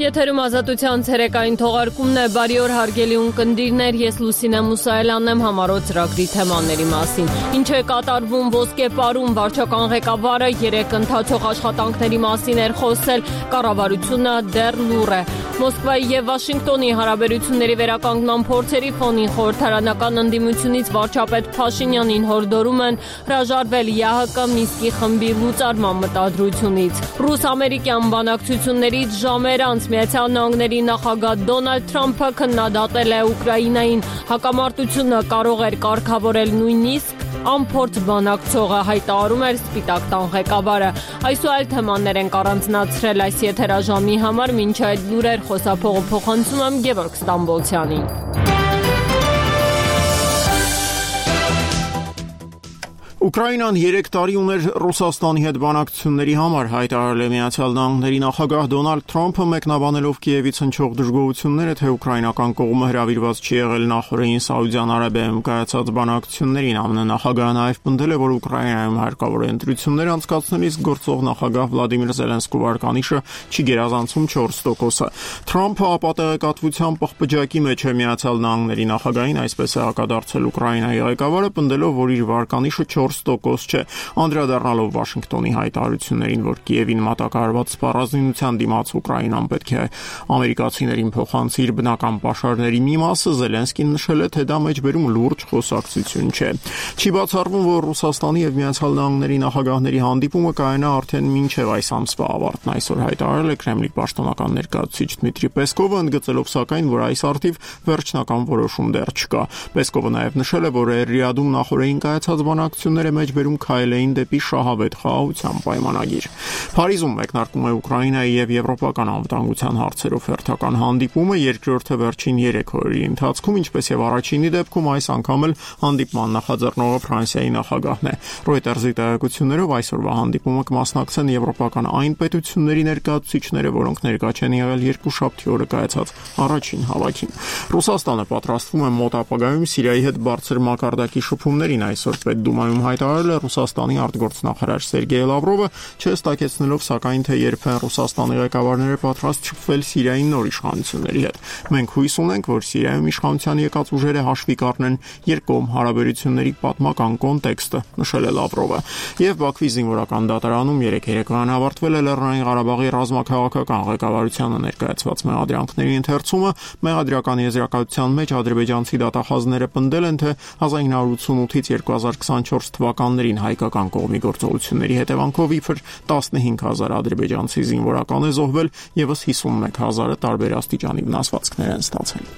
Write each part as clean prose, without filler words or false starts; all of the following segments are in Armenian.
Եթերում ազատության ցերեկային թողարկումն է, բարի օր հարգելի ունկնդիրներ, ես Լուսինե Մուսայելյանն եմ, համառոտ ծրագրի թեմաների մասին։ Ինչ է կատարվում Ոսկեպարում, վարչական ղեկավարը 3 ընթացող աշխատանքների մասին էր խոսել, կառավարությունը դեռ լուռ է։ Մոսկվայի եւ Վաշինգտոնի հարաբերությունների վերականգնման փորձերի ֆոնին խորհրդարանական ընդդիմությունից վարչապետ Փաշինյանին հորդորում են հրաժարվել ԵԱՀԿ Մինսկի խմբի լուծարման մտադրությունից։ Ռուս-ամերիկյան բանակցություններից ժամեր անց Միացյալ Նահանգների նախագահ Դոնալդ Թրամփը քննադատել է Ուկրաինային, հակամարտությունը կարող էր կարգավորել նույնիսկ անփորձ բանակցողը, հայտարարում էր Սպիտակ տան ղեկավարը։ Այս ու այլ թեմաներ են առանձնացրել այս եթերաժամի համար, մինչ այդ լուրեր խոսափողը փոխանցում եմ Գևորգ Ստամբոլցյանին։ Ուկրաինան 3 տարի ուներ Ռուսաստանի հետ բանակցությունների համար, հայտարարել է Միացյալ Նահանգների նախագահ Դոնալդ Թրամփը, մեկնաբանելով Կիևից հնչող դժգոհությունները, թե ուկրաինական կողմը հրավիրված չի եղել նախորդին Սաուդյան Արաբիայում կայացած բանակցություններին։ ԱՄՆ նախագահը նաև պնդել է, որ Ուկրաինայում հարկավոր է ընտրություններ անցկացնելիս գործող նախագահ Վլադիմիր Զելենսկու վարկանիշը չի գերազանցում 4%-ը։ Թրամփը ապատեղեկատվության պղպջակի մեջ է Միացյալ Նահանգների նախագահին, այսպես է հակադարձել Ուկրաինայի ղեկավարը, պնդելով, որ իր վարկանիշը 4% չէ, անդրադառնալով Վաշինգտոնի հայտարարություններին, որ Կիևին մատակարարված սպառազինության դիմաց Ուկրաինան պետք է ամերիկացիներին փոխանցի իր բնական պաշարների մի մասը, Զելենսկին նշել է, թե դա մեջբերում լուրջ խոսակցություն չէ։ Չի բացառվում, որ Ռուսաստանի եւ Միացյալ Նահանգների նախագահների հանդիպումը կայանա արդեն մինչեւ այս ամսվա ավարտն, այսօր հայտարարել է Կրեմլի պաշտոնական ներկայացուցիչ Դմիտրի Պեսկովը, ընդգծելով սակայն, որ այս արդիվ վերջնական որոշում դեռ չկա։ Պեսկովը նաև նշել է, որ Ռիադում նախորդին կայացած բանակցությունները մեջբերում քայլ էին դեպի շահավետ խաղաղության պայմանագիր։ Փարիզում մեկնարկում է Ուկրաինայի եւ եվրոպական անվտանգության հարցերով հերթական հանդիպումը, երկրորդը վերջին 3 օրերի ընթացքում, ինչպես եւ առաջինի դեպքում այս անգամ էլ հանդիպման նախաձեռնողը Ֆրանսիայի նախագահն է։ Reuters-ի տեղեկություններով այսօրվա հանդիպումը կմասնակցեն եվրոպական այն պետությունների ներկայացուցիչները, որոնք ներկա չեն եղել երկուշաբթի օրը կայացած առաջին հավաքին։ Ռուսաստանը պատրաստվում է մոտ ապագայում Սիրիայի հետ բարձր մակարդակի շփումներին, այսօր Պետդումայում հայտարարել է Ռուսաստանի արտգործնախարար Սերգեյ Լավրովը, չհստակեցնելով սակայն, թե երբ են Ռուսաստանի ղեկավարները պատրաստ շփվել Սիրիայի նոր իշխանությունների հետ։ Մենք հույս ունենք, որ Սիրիայում իշխանության եկած ուժերը հաշվի կառնեն երկկողմ հարաբերությունների պատմական կոնտեքստը, նշել է Լավրովը։ Եվ Բաքվի զինվորական դատարանում երեկոյան ավարտվել է Լեռնային Ղարաբաղի ռազմաքաղաքական ղեկավարությանը ներկայացված մեղադրանքների ընթերցումը։ Մեղադրական եզրակացության մեջ ադրբեջանցի դատախազները պնդել են, թե 1988-ից 2024 թվականներին հայկական կողմի գործողությունների հետևանքով իբր 15000 ադրբեջանցի զինվորական է զոհվել, եւս 51000-ը տարբեր աստիճանի վնասվածքներ են ստացել։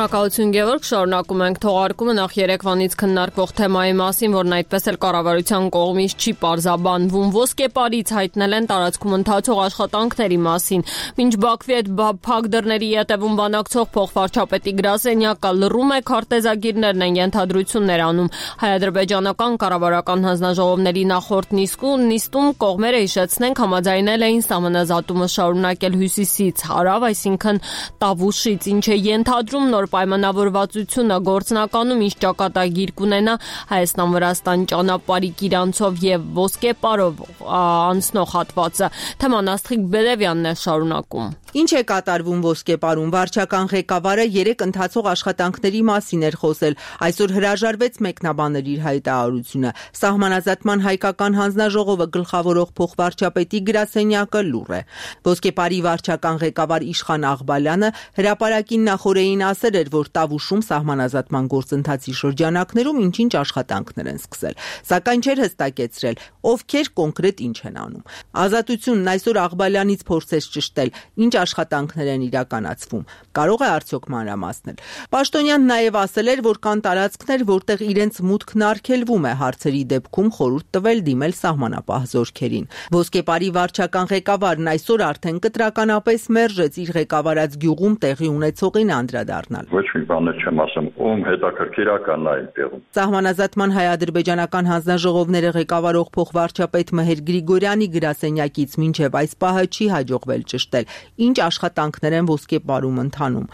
Շնորհակալություն Գևորգ, շարունակում ենք թողարկումը նախ երեկվանից քննարկվող թեմայի մասին, որն այդպես էլ կառավարության կողմից չի պարզաբանվում։ Ոսկեպարից հայտնել են տարածքում ընթացող աշխատանքների մասին։ Մինչ Բաքվի հետ փակ դռների ետևում բանակցող փոխվարչապետի գրասենյակը լռում է, քարտեզագիրներն են ենթադրություններ անում։ Հայ-ադրբեջանական կառավարական հանձնաժողովների նախորդ նիստում կողմերը հիշեցնենք համաձայնել էին սահմանազատումը շարունակել հյուսիսից հարավ, այսինքն Տավուշից, ինչը ենթադրում նոր պայմանավորվածությունը գործնականում ինչ ճակատագիր կունենա Հայաստան-Վրաստան ճանապարհի Կիրանցով եւ Ոսկեպարով անցնող հատվածը։ Թեման Աստղիկ Բելևյանն է շարունակում։ Ինչ է կատարվում Ոսկեպարում, վարչական ղեկավարը 3 ընթացող աշխատանքների մասին էր խոսել, այսօր հրաժարվեց մեկնաբանել իր հայտարարությունը։ Սահմանազատման հայկական հանձնաժողովը գլխավորող փոխվարչապետի գրասենյակը լուռ է։ Ոսկեպարի վարչական ղեկավար Իշխան Աղբալյանը հրապարակին նախորդին ասել էր, որ Տավուշում սահմանազատման գործընթացի շրջանակներում ինչ-ինչ աշխատանքներ են սկսել, սակայն չէր հստակեցրել, ովքեր կոնկրետ ինչ են անում։ Ազատությունն այսօր Աղբալյանից փորձեց ճշտել, ինչ աշխատանքներ են իրականացվում, կարող է արդյոք մանրամասնել։ Պաշտոնյանն նաև ասել էր, որ կան տարածքներ, որտեղ իրենց մուտքն արգելվում է, հարցերի դեպքում խորհուրդ տվել դիմել սահմանապահ զորքերին։ Ոսկեպարի վարչական ղեկավարն այսօր արդեն կտրականապես մերժեց իր ղեկավարած գյուղում տեղի ունեցողին անդրադառնալ։ Ոչ մի բան չեմ ասում, ում հետաքրքիրական է այդտեղում։ Սահմանազատման հայ-ադրբեջանական հանձնաժողովները ղեկավարող փոխվարչապետ Մհեր Գրիգորյանի գրասենյակից մինչև այս պահը չի հաջողվել ճշտել, ինչ ինչ աշխատանքներ են ոսկեպարում ընթանում։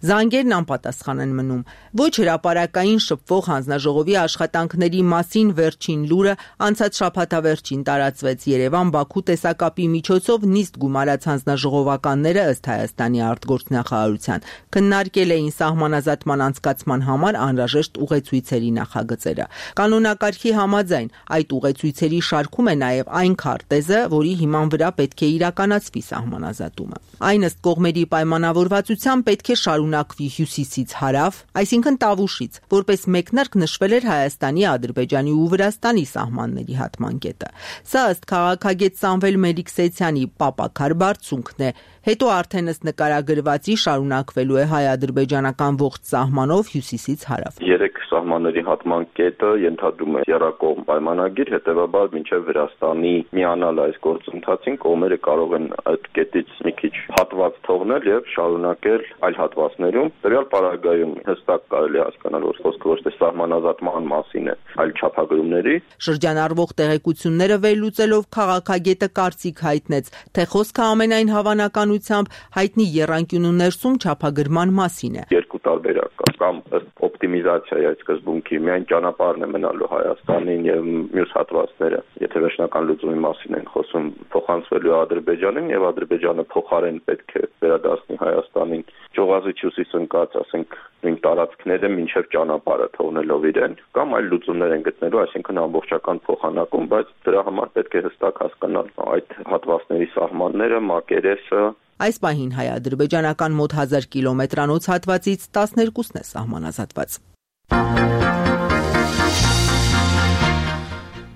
Զանգերն անպատասխան են մնում։ Ոչ հրապարակային շփվող հանձնաժողովի աշխատանքների մասին վերջին լուրը անցած շաբաթավերջին տարածվեց։ Երևան-Բաքու տեսակապի միջոցով նիստ գումարած հանձնաժողովականները ըստ Հայաստանի արտգործնախարարության քննարկել էին սահմանազատման անցկացման համար անհրաժեշտ ուղեցույցերի նախագծերը։ Կանոնակարգի համաձայն այդ ուղեցույցերի շարքում է նաև այն քարտեզը, որի հիման վրա պետք է իրականացվի սահմանազատումը։ Այն ըստ կողմերի պայմանավորվածության պետք է շարունակվի հյուսիսից հարավ, այսինքն Տավուշից, որպես մեկնարկ նշվել էր Հայաստանի, Ադրբեջանի ու Վրաստանի սահմանների հատման կետը։ Սա ըստ քաղաքագետ Սամվել Մելիքսեթյանի պապաքար բարձունքն է, հետո արդեն ըստ նկարագրվածի շարունակվելու է հայ-ադրբեջանական ողջ սահմանով հյուսիսից հարավ։ Երեք սահմանների հատման կետը ենթադրում է եռակողմ պայմանագիր, հետևաբար մինչև Վրաստանի միանալ այս գործընթացին կողմերը կարող են այդ կետից մի քիչ հատված թողնել եւ շարունակել այլ հատվածներում։ Տվյալ պարագայում հստակ կարելի է հասկանալ, որ խոսքը ոչ թե սահմանազատման մասին է, այլ չափագրումների։ Շրջանառվող տեղեկությունները վերլուծելով քաղաքագետը կարծիք հայտնեց, թե խոսքը ամենայն հավանականությամբ հայտնի եռանկյունու ներսում չափագրման մասին է։ Երկու տարբերակ կա, կամ ըստ օպտիմիզացիայի այդ սկզբունքի միայն ճանապարհն է մնալու Հայաստանին եւ մյուս հատվածները, եթե վերջնական լուծումի մասին են խոսում, փոխանցվելու Ադրբեջանին եւ Ադրբեջանը փոխարեն պետք է վերադասնի Հայաստանին ճյուղազիչ հյուսիս ընկած, ասենք, նույն տարածքները մինչև ճանապարհը թողնելով իրեն, կամ այլ լուծումներ են գտնելու, այսինքն ամբողջական փոխանակում, բայց դրա համար պետք է հստակ հասկանալ այդ հատվածների սահմանները, մակերեսը։ Այս պահին հայ-ադրբեջանական մոտ 1000 կիլոմետրանոց հատվածից 12-ն է սահմանազատված։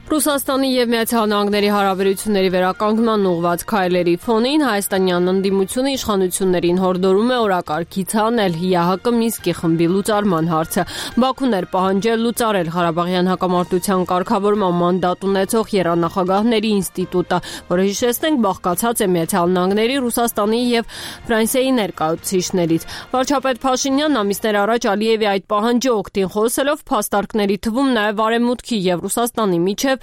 Ռուսաստանի եւ Միացյալ Նահանգների հարաբերությունների վերականգնման ուղղված քայլերի ֆոնին հայաստանյան ընդդիմությունը իշխանություններին հորդորում է օրակարգից հանել ՀՀԿ Մինսկի խմբի լուծարման հարցը։ Բաքուն էր պահանջել լուծարել Ղարաբաղյան հակամարտության կարգավորման մանդատ ունեցող եռանախագահների ինստիտուտը, որը հիշեցնենք բաղկացած է Միացյալ Նահանգների, Ռուսաստանի եւ Ֆրանսիայի ներկայացուցիչներից։ Վարչապետ Փաշինյանն ամիսներ առաջ Ալիևի այդ պահանջի օգտին խոսելով փաստարկների թվում նաեւ Արևմուտքի եւ Ռուսաստանի միջև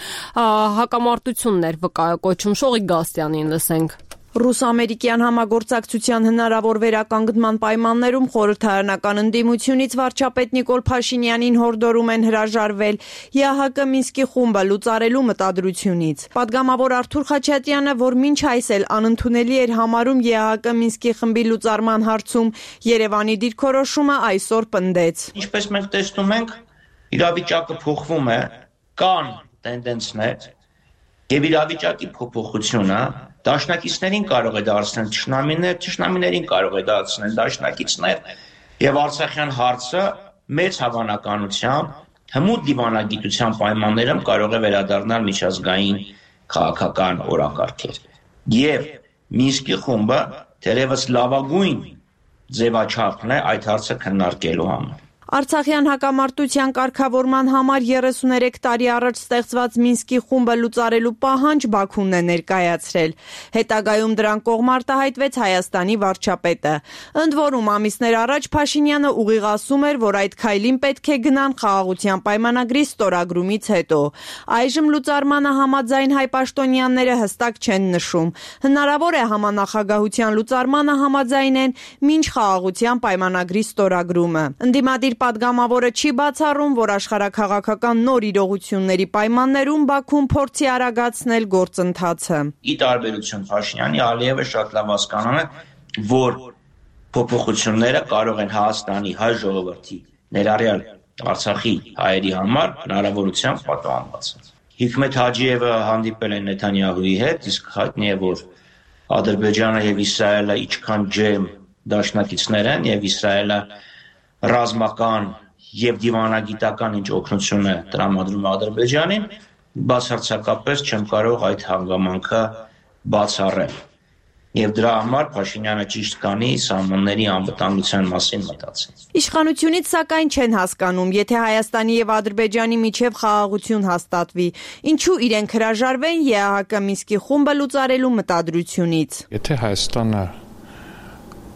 հակամարտություններ վկայակոչում Շողիկ Գաստյանին լսենք։ Ռուս-ամերիկյան համագործակցության հնարավոր վերականգնման պայմաններում խորհրդարանական ընդդիմությունից վարչապետ Նիկոլ Փաշինյանին հորդորում են հրաժարվել ՀՀԿ Մինսկի խումբը լուծարելու մտադրությունից։ Պատգամավոր Արթուր Խաչատյանը, որ մինչ այս էլ անընդունելի էր համարում ՀՀԿ Մինսկի խմբի լուծարման հարցում Երևանի դիրքորոշումը, այսօր պնդեց։ Ինչպես մենք տեսնում ենք, իրավիճակը փոխվում է, կան տենդենսներ եւ իրավիճակի փոփոխությունը դաշնակիցներին կարող է դարձնել ճշնամիներ, ճշնամիներին կարող է դարձնել դաշնակիցներ եւ Արցախյան հարցը մեծ հավանականությամբ հմուտ դիվանագիտության պայմաններում կարող է վերադառնալ միջազգային քաղաքական օրակարգեր։ Եվ Մինսկի խումբը թերևս լավագույն ձևաչափն է այդ հարցը քննարկելու համար։ Արցախյան հակամարտության կարգավորման համար 33 տարի առաջ ստեղծված Մինսկի խումբը լուծարելու պահանջ Բաքուն է ներկայացրել։ Հետագայում դրան կողմ արտահայտվեց Հայաստանի վարչապետը։ Ընդ որում ամիսներ առաջ Փաշինյանը ուղիղ ասում էր, որ այդ քայլին պետք է գնան խաղաղության պայմանագրի ստորագրումից հետո։ Այժմ լուծարմանը համաձայն հայ պաշտոնյաները հստակ չեն նշում։ Հնարավոր է համանախագահության լուծարմանը համաձայնեն մինչ խաղաղության պայմանագրի ստորագրումը։ Ընդդիմադիր պատգամավորը չի բացառում, որ աշխարհաքաղաքական նոր իրողությունների պայմաններում Բաքուն փորձի արագացնել գործընթացը։ Ի տարբերություն Փաշինյանի, Ալիևը շատ լավ հասկանում է, որ փոփոխությունները կարող են Հայաստանի հայ ժողովրդի ներառյալ Արցախի հայերի համար հնարավորությամբ պատահանված։ Հիկմետ Հաջիևը հանդիպել է Նեթանյահուի հետ, իսկ հայտնի է, որ Ադրբեջանը եւ Իսրայելը ինչքան ջերմ դաշնակիցներ են եւ Իսրայելը ռազմական եւ դիվանագիտական ինչ օգնություն է տրամադրում Ադրբեջանին, բացարձակապես չեմ կարող այդ հանգամանքը բացառել։ Եվ դրա համար Փաշինյանը ճիշտ կանի սահմանների անվտանգության մասին մտածել։ Իշխանությունից սակայն չեն հասկանում, եթե Հայաստանի եւ Ադրբեջանի միջև խաղաղություն հաստատվի, ինչու իրենք հրաժարվեն ԵԱՀԿ Մինսկի խումբը լուծարելու մտադրությունից։ Եթե Հայաստանը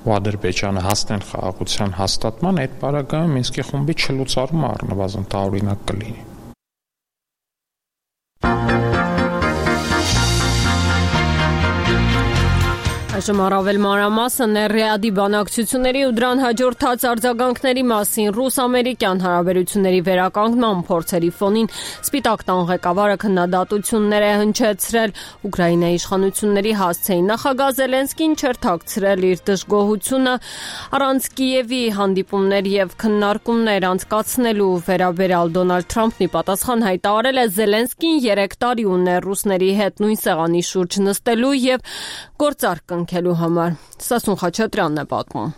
ու Ադրբեջանը հասնեն խաղաղության հաստատման, այդ պարագայում Մինսկի խումբի չլուծարումը առնվազն տարօրինակ կլինի։ Այս Այժմ առավել մանրամասը Ռիադի բանակցությունների ու դրան հաջորդած արձագանքների մասին ռուս-ամերիկյան հարաբերությունների վերականգնման փորձերի ֆոնին Սպիտակ տան ղեկավարը քննադատություններ է հնչեցրել Ուկրաինայի իշխանությունների հասցեին։ Նախագահ Զելենսկին չէր թաքցրել իր դժգոհությունը առանց Կիևի հանդիպումներ եւ քննարկումներ անցկացնելու վերաբերյալ Դոնալդ Թրամփն ի պատասխան հայտարարել է Զելենսկին 3 տարի ուներ ռուսների հետ նույն սեղանի շուրջ նստելու եւ գործարք կնքելու համար։ Սասուն Խաչատրյանն է պատմում։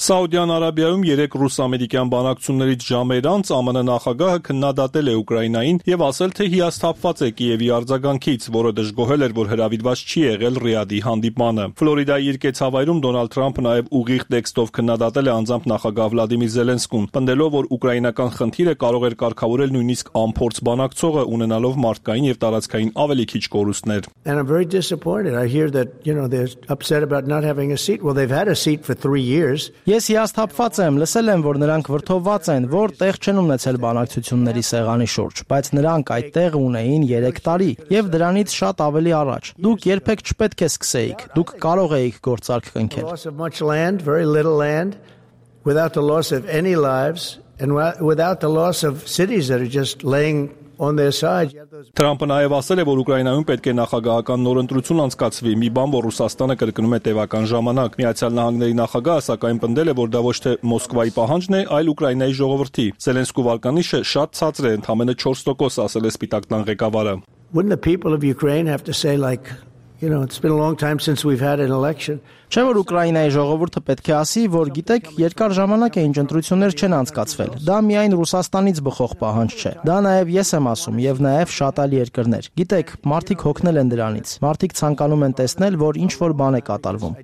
Սաուդյան Արաբիայում 3 ռուս-ամերիկյան բանակցություններից ժամեր անց ԱՄՆ նախագահը քննադատել է Ուկրաինային եւ ասել, թե հիասթափված է Կիևի արձագանքից, որը դժգոհել էր, որ հրավիրված չի եղել Ռիադի հանդիպմանը։ Ֆլորիդայի իր կեցավայրում Դոնալդ Թրամփը նաեւ ուղիղ տեքստով քննադատել է անձամբ նախագահ Վլադիմիր Զելենսկուն, պնդելով, որ ուկրաինական խնդիրը կարող էր կարգավորել նույնիսկ անփորձ բանակցողը, ունենալով մարդկային եւ տարածքային ավելի քիչ կորուստներ։ And I'm very disappointed. I hear that, they're upset about not having a seat. Well, they've had a seat for 3 years. Ես հիասթափված եմ, լսել եմ, որ նրանք վրդովված են, որ տեղ չեն ունեցել բանակցությունների սեղանի շուրջ, բայց նրանք այդ տեղը ունեին 3 տարի եւ դրանից շատ ավելի առաջ։ Դուք երբեք չպետք է սկսեիք, դուք կարող էիք գործարք կնքել։ Loss of much land, very little land, without the loss of any lives and without the loss of cities that are just laying on their side. Թրամփը նաև ասել է, որ Ուկրաինայում պետք է նախագահական նոր ընտրություն անցկացվի, մի բան, որ Ռուսաստանը կրկնում է տևական ժամանակ։ Միացյալ Նահանգների նախագահը սակայն պնդել է, որ դա ոչ թե Մոսկվայի պահանջն է, այլ Ուկրաինայի ժողովրդի։ Զելենսկու վարկանիշը շատ ցածր է, ընդամենը 4%, ասել է Սպիտակ տան ղեկավարը։ Wouldn't the people of Ukraine have to say it's been a long time since we've had an election? Չէ՞ որ Ուկրաինայի ժողովուրդը պետք է ասի, որ գիտեք, երկար ժամանակ է ինչ ընտրություններ չեն անցկացվել։ Դա միայն Ռուսաստանից բխող պահանջ չէ։ Դա նաև ես եմ ասում եւ նաև շատ այլ երկրներ։ Գիտեք, մարդիկ հոգնել են դրանից։ Մարդիկ ցանկանում են տեսնել, որ ինչ որ բան է կատարվում։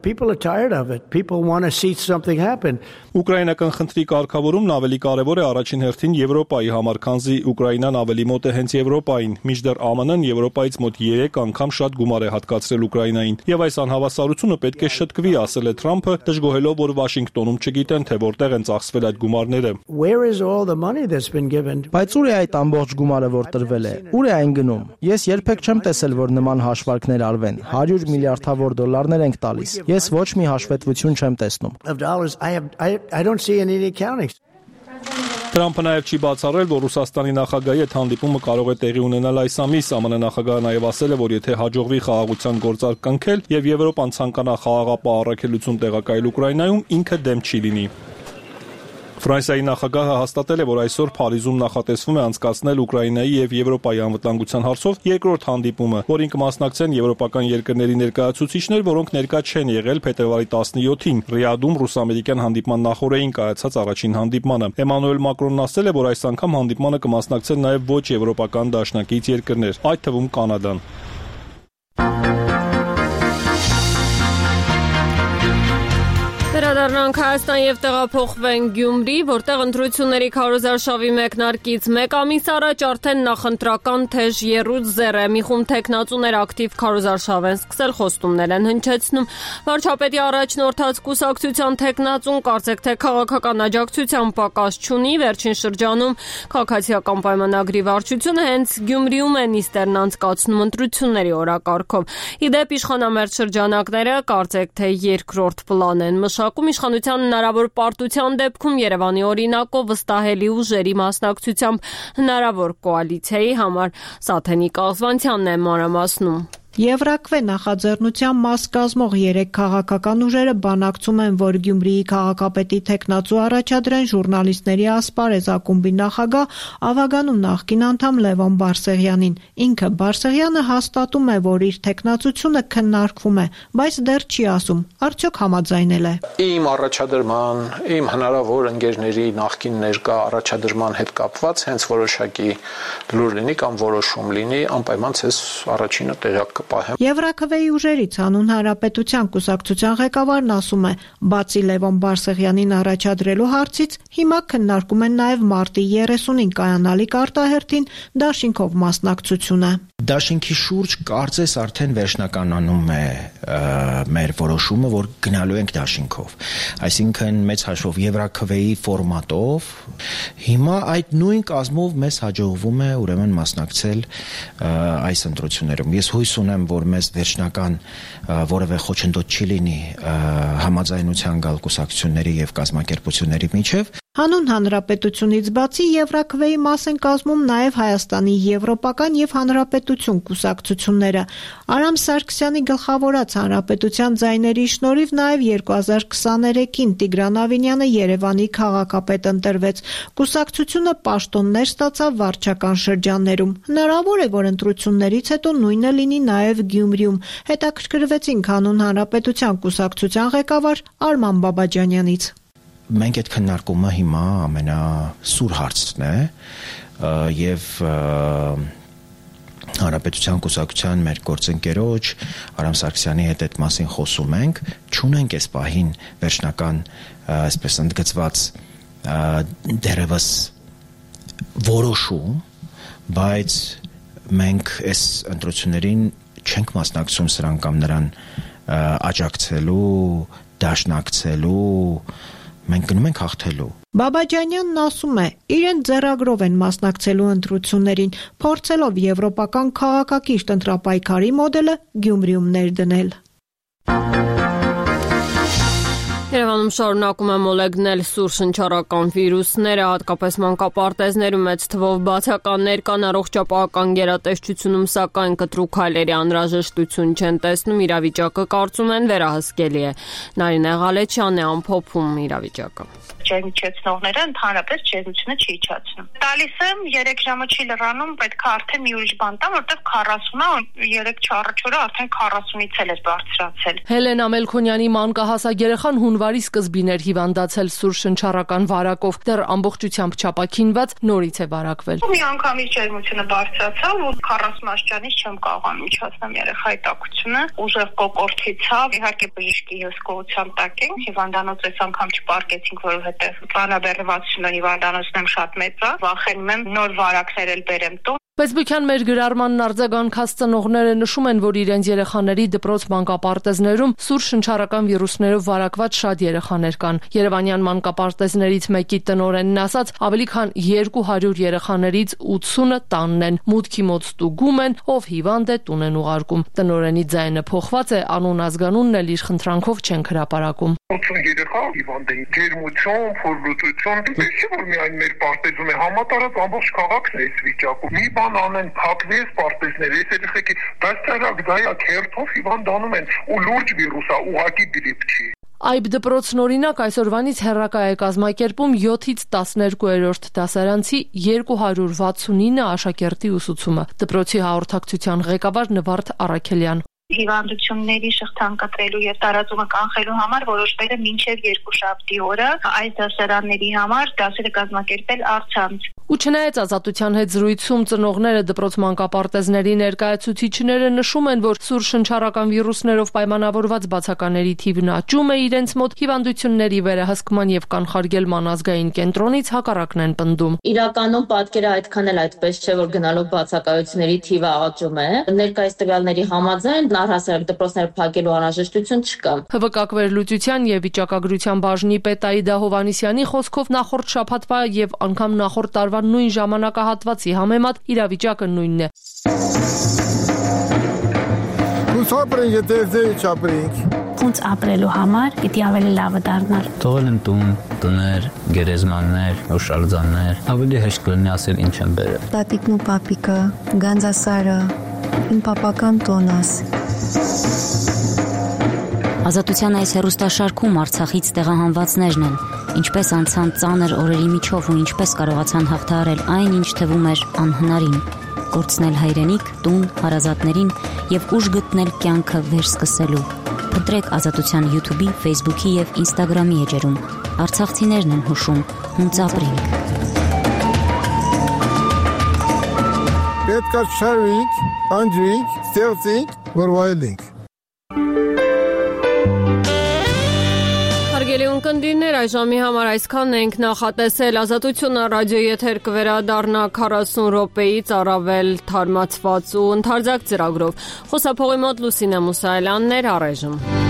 People are tired of it. People want to see something happen. Ուկրաինական խնդրի կարգավորումն ավելի կարևոր է առաջին հերթին Եվրոպայի համար, քանզի Ուկրաինան ավելի մոտ է հենց Եվրոպային։ Մինչդեռ ԱՄՆ-ն Եվրոպայից մոտ 3 անգամ շատ գումար է հատկացրել Ուկրաինային։ Եւ այս անհավասարությունը պետք է շտկվի, ասել է Թրամփը, դժգոհելով, որ Վաշինգտոնում չգիտեն, թե որտեղ են ծախսվել այդ գումարները։ Բայց ուր է այդ ամբողջ գումարը, որ տրվել է։ Ուր է այն գնում։ Ես երբեք չեմ տեսել, որ նման հաշվարկներ արվեն։ 100 միլիարդավոր դոլարներ ենք տալիս։ Ես ոչ մի հաշվետվություն չեմ տեսնում։ Թրամփը նաև չի բացառել, որ Ռուսաստանի նախագահի հետ հանդիպումը կարող է տեղի ունենալ այս ամիս։ ԱՄՆ նախագահը նաև ասել է, որ եթե հաջողվի խաղաղության գործարք կնքել եւ Եվրոպան ցանկանա խաղաղապահ առաքելություն տեղակայել Ուկրաինայում, ինքը դեմ չի լինի։ Ֆրանսիայի նախագահը հաստատել է, որ այսօր Փարիզում նախատեսվում է անցկացնել Ուկրաինայի եւ Եվրոպայի անվտանգության հարցով երկրորդ հանդիպումը, որին կմասնակցեն եվրոպական երկրների ներկայացուցիչներ, որոնք ներկա չեն եղել փետրվարի 17-ին Ռիադում ռուս-ամերիկյան հանդիպման նախօրեին կայացած առաջին հանդիպմանը։ Էմանուել Մակրոնն ասել է, որ այս անգամ հանդիպմանը կմասնակցեն նաեւ ոչ եվրոպական դաշնակից երկրներ, այդ թվում Կանադան։ Վերադառնանք Հայաստան եւ տեղափոխվենք Գյումրի, որտեղ ընտրությունների քարոզարշավի մեկնարկից 1 ամիս առաջ արդեն նախընտրական թեժ եռուց զեռ է։ Մի խումբ տեխնացուներ ակտիվ քարոզարշավ են սկսել, խոստումներ են հնչեցնում։ Վարչապետի առաջնորդած կուսակցության տեխնացուն կարծեք թե քաղաքական աջակցության պակաս չունի։ Վերջին շրջանում քաղաքացիական պայմանագրի վարչությունը հենց Գյումրիում է նիստերն անցկացնում ընտրությունների օրակարգով։ Իդեպ իշխանամերձ շրջանակները կարծեք թե երկրորդ պլան են մշակում իշխանության հնարավոր պարտության դեպքում Երևանի օրինակով վստահելի ուժերի մասնակցությամբ հնարավոր կոալիցիայի համար Սաթենիկ Աղզվանցյանն է մանրամասնում։ Եվրակվե նախաձեռնության մաս կազմող 3 քաղաքական ուժերը բանակցում են, որ Գյումրիի քաղաքապետի տեխնացու առաջադրեն ժուրնալիստների ասպարեզ ակումբի նախագահ Ավագանու նախկին անդամ Լևոն Բարսեղյանին։ Ինքը Բարսեղյանը հաստատում է, որ իր տեխնացությունը քննարկվում է, բայց դեռ չի ասում, արդյոք համաձայնել է։ Իմ առաջադրման, իմ հնարավոր ընկերների նախկին ներկա առաջադրման հետ կապված հենց որոշակի լուր լինի կամ որոշում լինի, անպայման ցես առաջինը տեղյակ Եվրաքվեի ուժերից հանուն հանրապետության կուսակցության ղեկավարն ասում է, բացի Լևոն Բարսեղյանին առաջադրելու հարցից, հիմա քննարկում են նաև մարտի 30-ին կայանալիք արտահերթին դաշինքով մասնակցությունը։ Դաշինքի շուրջ կարծես արդեն վերջնականանում է մեր որոշումը, որ գնալու ենք դաշինքով։ Այսինքն մեծ հաշվով Եվրաքվեի ֆորմատով հիմա այդ նույն կազմով մեզ հաջողվում է ուրեմն մասնակցել այս ընտրություններում։ Ես հույս ունեմ, ունեմ, որ մեզ վերջնական որևէ խոչընդոտ չի լինի համաձայնության գալ կուսակցությունների եւ կազմակերպությունների միջև։ Հանուն հանրապետությունից բացի Եվրաքվեի մաս են կազմում նաև Հայաստանի Եվրոպական եւ Հանրապետություն կուսակցությունները։ Արամ Սարգսյանի գլխավորած հանրապետության ձայների շնորհիվ նաև 2023-ին Տիգրան Ավինյանը Երևանի քաղաքապետ ընտրվեց։ Կուսակցությունը պաշտոններ ստացավ վարչական շրջաններում։ Հնարավոր է, որ ընտրություններից հետո նույնը լինի նաև Գյումրիում։ Հետաքրքրվեցինք հանուն հանրապետության կուսակցության ղեկավար Արման Բաբաջանյանից։ Մենք այդ քննարկումը հիմա ամենասուր հարցն է եւ Հանրապետության կուսակցության մեր գործընկերոջ Արամ Սարգսյանի հետ այդ մասին խոսում ենք, չունենք այս պահին վերջնական, այսպես ընդգծված դերևս որոշում, բայց մենք այս ընտրություններին չենք մասնակցում սրան կամ նրան աջակցելու, դաշնակցելու, մենք գնում ենք հաղթելու։ Բաբաջանյանն ասում է, իրեն ձեռագրով են մասնակցելու ընտրություններին, փորձելով եվրոպական քաղաքակիրթ ընտրապայքարի մոդելը Գյումրիում ներդնել։ Երևանում շարունակում է մոլեգնել սուր շնչառական վիրուսները, հատկապես մանկապարտեզներում մեծ թվով բացականներ կան, առողջապահական գերատեսչությունում սակայն կտրուկ քայլերի անհրաժեշտություն չեն տեսնում, իրավիճակը կարծում են վերահսկելի է։ Նարինե Ղալեչյանն է ամփոփում իրավիճակը։ Ջերմիչեցնողները ընդհանրապես ջերմությունը չի իջացնում։ Տալիս եմ 3 ժամը չի լրանում, պետք է արդեն մի ուրիշ բան տամ, որտեղ 40-ը 3-4 օրը արդեն 40-ից էլ է բարձրացել։ Հելենա Մելքոնյանի մանկահասակ երեխան հունվարի սկզբին էր հիվանդացել սուր շնչառական վարակով, դեռ ամբողջությամբ չապաքինված նորից է վարակվել։ Մի անգամից ջերմությունը բարձրացավ ու 40 աստիճանից չեմ կարողանում իջացնել երեխայի տաքությունը, ուժեղ կոկորտի ցավ, իհարկե բժշկի հսկողության տակ ենք, հիվանդանոց այս անգամ չպարկեցինք, որովհետև ծանրաբեռնվածությունը հիվանդանոցն եմ շատ մեծ է, վախենում եմ նոր վարակներ էլ բերեմ տուն։ Ֆեյսբուքյան մեր գրառմանն արձագանքած ծնողները նշում են, որ իրենց երեխաների դպրոց մանկապարտեզներում սուր շնչառական վիրուսներով վարակված շատ երեխաներ կան։ Երևանյան մանկապարտեզներից մեկի տնօրենն ասաց, ավելի քան 200 երեխաներից 80-ը տանն են, մուտքի մոտ ստուգում են, ով հիվանդ է տուն են ուղարկում։ Տնօրենի ձայնը փոխված է, անուն ազգանունն էլ իր խնդրանքով չեն հրապարակում։ 80 երեխա հիվանդ են, ջերմություն, փորլուծություն, դուք որ միայն մեր պարտեզում է համատարած ամբողջ քաղաքն է այս վիճակում։ Մի բան անեն, փակվի այս պարտեզները, այս երեխեքի դաստիարակ դայակ հերթով հիվանդանում են ու լուրջ վիրուս է, ուղղակի գրիպ չի։ Այբ դպրոցն օրինակ այսօրվանից հեռակա է կազմակերպում 7-ից 12-րդ դասարանցի 269 աշակերտի ուսուցումը։ Դպրոցի հաղորդակցության ղեկավար Նվարդ Առաքելյան։ Հիվանդությունների շղթան կտրելու եւ տարածումը կանխելու համար որոշվել է մինչեւ 2 օրը այս դասարանների համար դասերը կազմակերպել առցանց։ Ու չնայած Ազատության հետ զրույցում ծնողները դպրոց մանկապարտեզների ներկայացուցիչները նշում են, որ սուր շնչառական վիրուսներով պայմանավորված բացակաների թիվն աճում է իրենց մոտ, հիվանդությունների վերահսկման եւ կանխարգելման ազգային կենտրոնից հակառակն են պնդում։ Իրականում պատկերը այդքան էլ այդպես չէ, որ գնալով բացակայությունների թիվը աճում է։ Ներկայիս տվյալների համաձայն առհասարակ դպրոցները փակելու անհրաժեշտություն չկա։ ՀՎԿ վերլուծության եւ վիճակագրության բաժնի պետ Աիդա Հովհաննիսյանի խոսքով նախորդ շաբաթվա եւ անգամ նախորդ տարվա նույն ժամանակահատվածի համեմատ իրավիճակը նույնն է։ Ոնց ապրելու համար պիտի ավելի լավը դառնալ։ Թողել են տուն, տներ, գերեզմաններ, հուշարձաններ, ավելի հեշտ կլինի ասել ինչ են բերել։ Տատիկն ու պապիկը, Գանձասարը, իմ պապական տոնս։ Ազատության այս հեռուստաշարքում Արցախից տեղահանվածներն են, ինչպես անցան ծանր օրերի միջով ու ինչպես կարողացան հաղթահարել այն, ինչ թվում էր անհնարին, կորցնել հայրենիք, տուն, հարազատներին եւ ուժ գտնել կյանքը վերսկսելու։ Փնտրեք Ազատության YouTube-ի, Facebook-ի եւ Instagram-ի էջերում։ Արցախցիներն են հուշում, հունց ապրենք։ Պետք է շարվենք, անջրենք, ստեղծենք, որ վայելենք։ Հարգելի ունկնդիրներ, այժմի համար այսքանն ենք նախատեսել։ Ազատությունը ռադիոյի եթեր կվերադառնա 40 րոպեից առավել թարմացված ու ընդարձակ ծրագրով։ Խոսափողի մոտ Լուսինե Մուսայելյանն էր, առայժմ։